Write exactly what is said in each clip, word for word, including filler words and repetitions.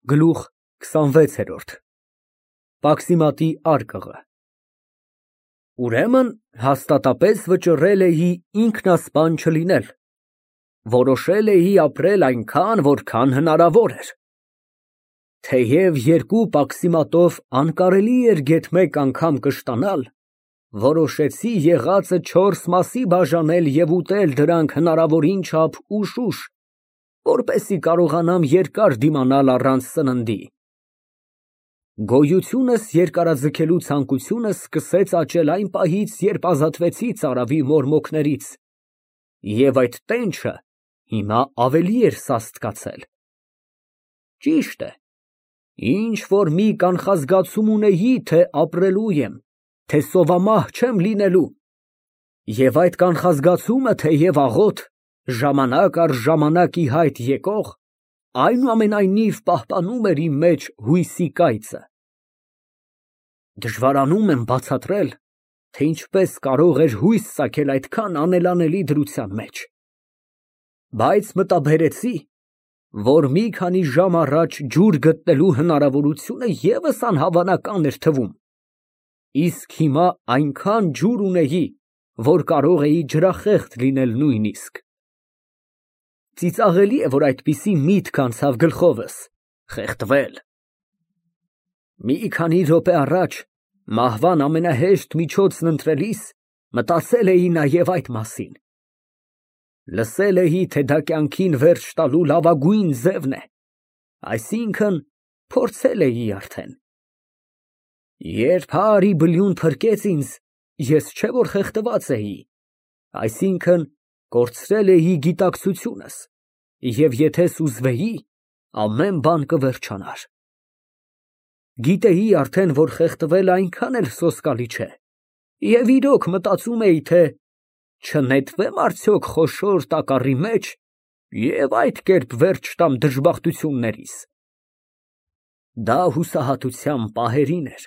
Գլուխ քսանվեցերորդ ՄԱՔՍԻՄԱՏԻ արկղը Ուրեմն հաստատապես վճռել էի ինքնասպան չլինել, որոշել էի ապրել այնքան, որքան հնարավոր էր, թեև երկու պաքսիմատով անկարելի էր գեթ մեկ անգամ կշտանալ, որոշեցի եղածը չորս մասի բաժանել և ուտել դրանք հնարավորին չափ ուշ֊ուշ, որպեսզի կարողանամ երկար դիմանալ առանց սննդի։ Գոյությունս երկարաձգելու ցանկությունս սկսեց աճել այն պահից, երբ ազատվեցի ծարավի մորմոքներից, և այդ տենչը հիմա ավելի էր սաստկացել։ Ճիշտ է, ինչ֊որ մի կանխազգացում ունեի, թե ապրելու եմ, թե սովամահ չեմ լինելու, և այդ կանխազգացումը, թեև աղոտ, ժամանակ առ ժամանակ ի հայտ եկող, այնուամենայնիվ պահպանում էր իմ մեջ հույսի կայծը։ Դժվարանում եմ բացատրել, թե ինչպես կարող էր հույս ծագել այդքան անելանելի դրության մեջ, բայց մտաբերեցի, որ մի քանի ժամ առաջ ջուր գտնելու հնարավորությունը ևս անհավանական էր թվում, իսկ հիմա այնքան ջուր ունեի, որ կարող էի ջրախեղտ լինել նույնիսկ։ Ծիծաղելի է, որ այդպիսի միտք անցավ գլխովս՝ խեղդվել։ Մի քանի րոպե առաջ մահվան ամենահեշտ միջոցն ընտրելիս մտածել էի նաև այդ մասին։ Լսել էի, թե դա կյանքին վերջ տալու լավագույն ձևն է, այսինքն՝ փորձել էի արդեն։ Երբ հարի բլյուն փրկեց ինձ, ես չէ որ խեղդված էի, այսինքն՝ կորցրել էի գիտակցությունս, և եթե սուզվեի, ամեն բան կվերջանար։ Գիտեի արդեն, որ խեղդվելը այնքան էլ սոսկալի չէ, և իրոք մտածում էի, թե չնետվե՞մ արդյոք խոշոր տակառի մեջ և այդ կերպ վերջ տամ դժբախտություններիս։ Դա հուսահատության պահերին էր,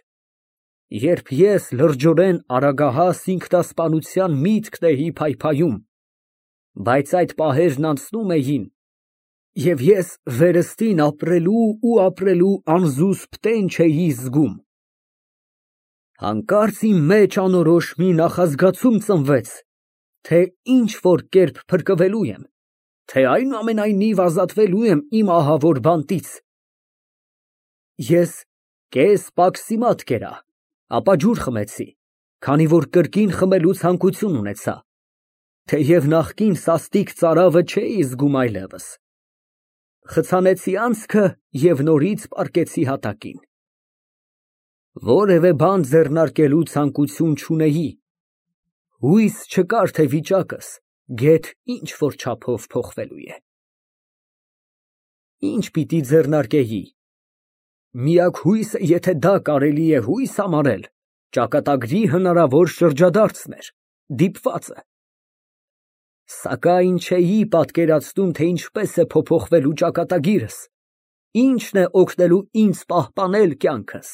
երբ ես լրջորեն արագահաս ինքնասպանության միտքն էի փայփայում, բայց այդ պահերն անցնում էին, և ես վերստին ապրելու ու ապրելու անզուսպ տենչ էի զգում։ Հանկարծ իմ մեջ անորոշ մի նախազգացում ծնվեց, թե ինչ֊որ կերպ փրկվելու եմ, թե այնուամենայնիվ ազատվելու եմ իմ ահավոր բանտից։ Ես կես պաքսիմատ կերա, ապա ջուր խմեցի, քանի որ կրկին խմելու ցանկություն ունեցա, թեև նախկին սաստիկ ծարավը չէի զգում այլևս։ Խցանեցի անցքը և նորից պառկեցի հատակին։ Որևէ բան ձեռնարկելու ցանկություն չունեի, հույս չկար, թե վիճակս գեթ ինչ֊որ չափով փոխվելու է։ Ի՞նչ պիտի ձեռնարկեի։ Միակ հույսը, եթե դա կարելի է հույս համարել, ճակատագրի հնարավոր շրջադարձն էր, դիպվածը։ Սակայն չէի պատկերացնում, թե ինչպես է փոփոխվելու ճակատագիրս, ինչն է օգնելու ինձ պահպանել կյանքս։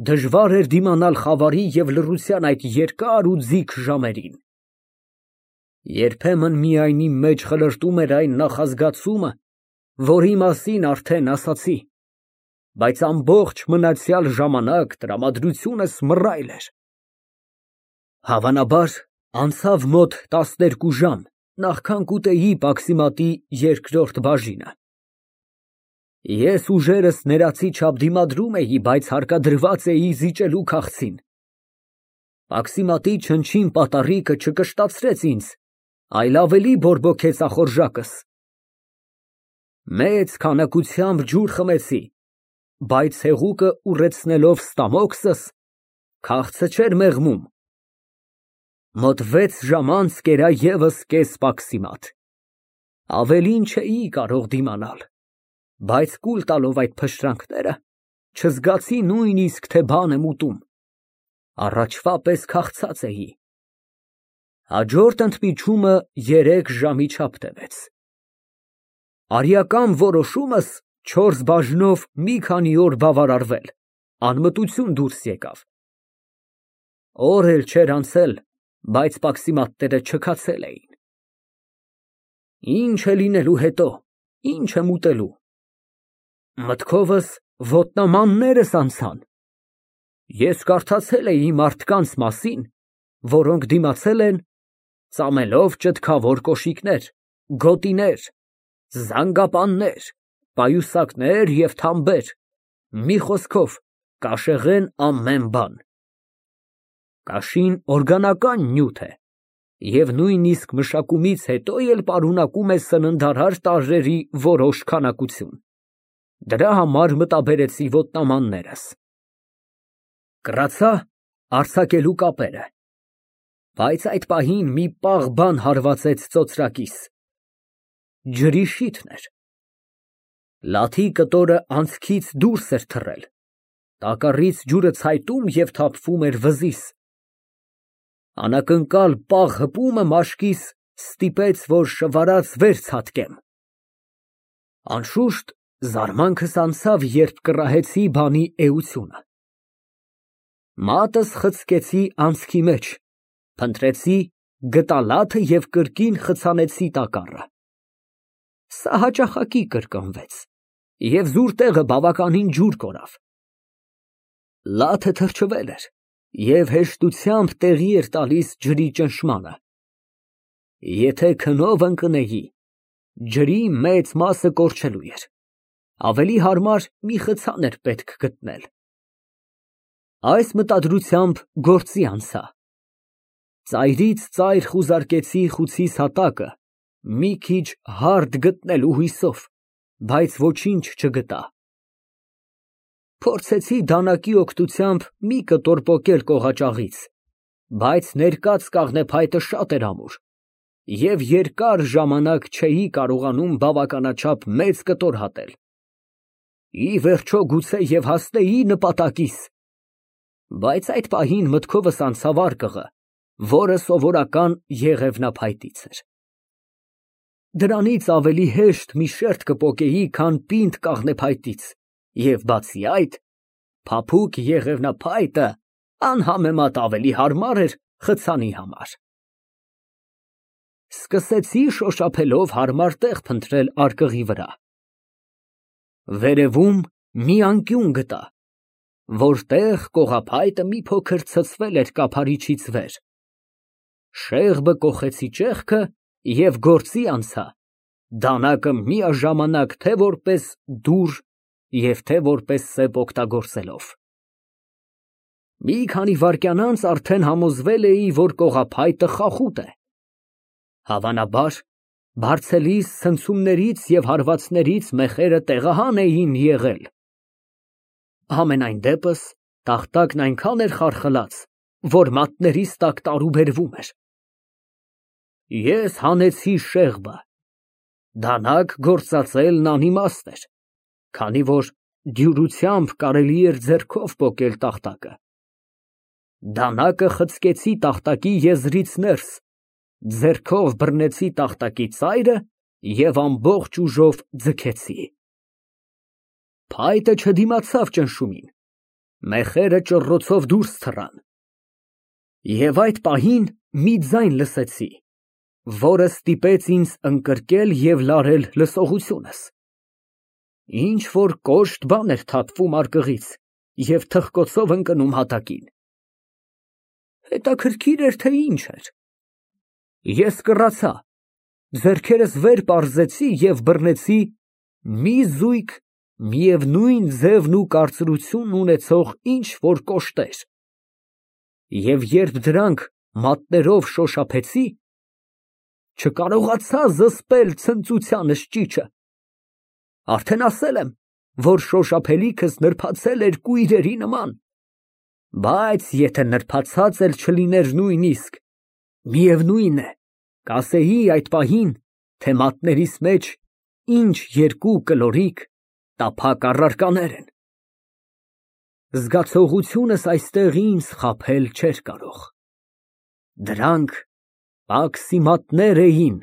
Դժվար էր դիմանալ խավարի և լռության այդ երկար ու ձիգ ժամերին։ Երբեմն միայն իմ մեջ խլրտում էր այն նախազգացումը, որի մասին արդեն ասացի, բայց ամբողջ մնացյալ ժամանակ տրամադրությունս մռայլ էր։ Հավանաբար, անցավ մոտ տասներկու ժամ, նախքան կուտեի պաքսիմատի երկրորդ բաժինը։ Ես ուժերս ներածի չափ դիմադրում էի, բայց հարկադրված էի զիջելու քաղցին։ Պաքսիմատի չնչին պատառիկը չկշտացրեց ինձ, այլ ավելի բորբոքեց ախորժակս։ Մեծ քանակությամբ ջուր խմեցի, բայց հեղուկը ուռեցնելով ստամոքսս, քաղցը չէր մեղմում։ Մոտ վեց ժամ անց կերա ևս կես պաքսիմատ։ Ավելին չէի կարող դիմանալ, բայց կուլ տալով այդ փշրանքները, չզգացի նույնիսկ, թե բան եմ ուտում, առաջվա պես քաղցած էի։ Հաջորդ ընդմիջումը երեք ժամի չափ տևեց։ Արիական որոշումս չորս բաժնով մի քանի օր բավարարվել, անմտություն դուրս եկավ։ Օր էլ չէր անցել, բայց պաքսիմատները չքացել էին։ Ինչ է լինելու հետո, ինչ եմ ուտելու։ Մտքովս ոտնամաններս անցան։ Ես կարդացել էի մարդկանց մասին, որոնք դիմացել են ծամելով ճտկավոր կոշիկներ, գոտիներ, զանգապաններ, պայուսակներ և թամբեր, մի խոսքով, կաշեղեն ամեն բան։ Կաշին օրգանական նյութ է և նույնիսկ մշակումից հետո էլ պարունակում է սննդարար տարրերի որոշ քանակություն։ Դրա համար մտաբերեցի ոտնամաններս։ Կռացա արձակելու կապերը, բայց այդ պահին մի պաղ բան հարվածեց ծոծրակիս։ Ջրի շիթն էր։ Լաթի կտորը անցքից դուրս էր թռել, տակառից ջուրը ցայտում և թափվում էր վզիս։ Անակնկալ պաղ հպումը մաշկիս ստիպեց, որ շվարած վեր ցատկեմ։ Անշուշտ զարմանքս անցավ, երբ կռահեցի բանի էությունը։ Մատս խցկեցի անցքի մեջ, փնտրեցի, գտա լաթը և կրկին խցանեցի տակառը։ Սա հաճախակի կրկնվեց, և զուր տեղը բավականին ջուր կորավ։ Լաթը թրջվել էր և հեշտությամբ տեղի էր տալիս ջրի ճնշմանը։ Եթե քնով ընկնեի, ջրի մեծ մասը կորչելու էր, ավելի հարմար մի խցան էր պետք գտնել։ Այս մտադրությամբ գործի անցա։ Ծայրից ծայր խուզարկեցի խուցիս հատակը, մի քիչ հարդ գտնելու հույսով, բայց ոչինչ չգտա։ Փորձեցի դանակի օգնությամբ մի կտոր պոկել կողաճաղից, բայց ներկած կաղնեփայտը շատ էր ամուր, և երկար ժամանակ չէի կարողանում բավականաչափ մեծ կտոր հատել։ Ի վերջո գուցե և հասնեի նպատակիս, բայց այդ պահին մտքովս անցավ արկղը, որը սովորական եղևնափայտից էր։ Դրանից ավելի հեշտ մի շերտ կպոկեի, քան պինդ կաղնեփայտից, և բացի այդ, փափուկ եղևնափայտը անհամեմատ ավելի հարմար էր խցանի համար։ Սկսեցի շոշափելով հարմար տեղ փնտրել արկղի վրա։ Վերևում մի անկյուն գտա, որտեղ կողափայտը մի փոքր ցցվել էր կափարիչից վեր։ Շեղբը կոխեցի ճեղքը և գործի անցա, դանակը միաժամանակ թե որպես դուռ և թե որպես սեպ օգտագործելով։ Մի քանի վայրկյան անց արդեն համոզվել էի, որ կողափայտը խախուտ է։ Հավանաբար, բարձելիս ցնցումներից և հարվածներից մեխերը տեղահան էին եղել։ Համենայն դեպս, տախտակն այնքան էր խարխլած, որ մատներիս տակ տարուբերվում էր։ Ես հանեցի շեղբը։ Դանակ գործածելն անիմաստ էր, քանի որ դյուրությամբ կարելի էր ձեռքով պոկել տախտակը։ Դանակը խցկեցի տախտակի եզրից ներս, ձեռքով բռնեցի տախտակի ծայրը և ամբողջ ուժով ձգեցի։ Փայտը չդիմացավ ճնշումին, մեխերը ճռռոցով դուրս թռան։ Եվ այդ պահին մի ձայն լսեցի, որը ստիպեց ինձ ընկրկել և լարել լսողությունս։ Ինչ֊որ կոշտ բան էր թափվում արկղից և թխկոցով ընկնում հատակին։ Հետաքրքիր էր, թե ինչ էր։ Ես կռացա, ձեռքերս վեր պարզեցի և բռնեցի մի զույգ միևնույն ձևն ու կարծրություն ունեցող ինչ֊որ կոշտեր, և երբ դրանք մատներով շոշափեցի, չկարողացա զսպել ցնծությանս ճիչը։ Արդեն ասել եմ, որ շոշափելիքս նրբացել էր կույրերի նման, բայց եթե նրբացած էլ չլիներ նույնիսկ, միևնույն է, կասեի այդ պահին, թե մատներիս մեջ ինչ երկու կլորիկ, տափակ առարկաներ են։ Զգացողությունս այստեղ ինձ խաբել չէր կարող։ Դրանք պաքսիմատներ էին,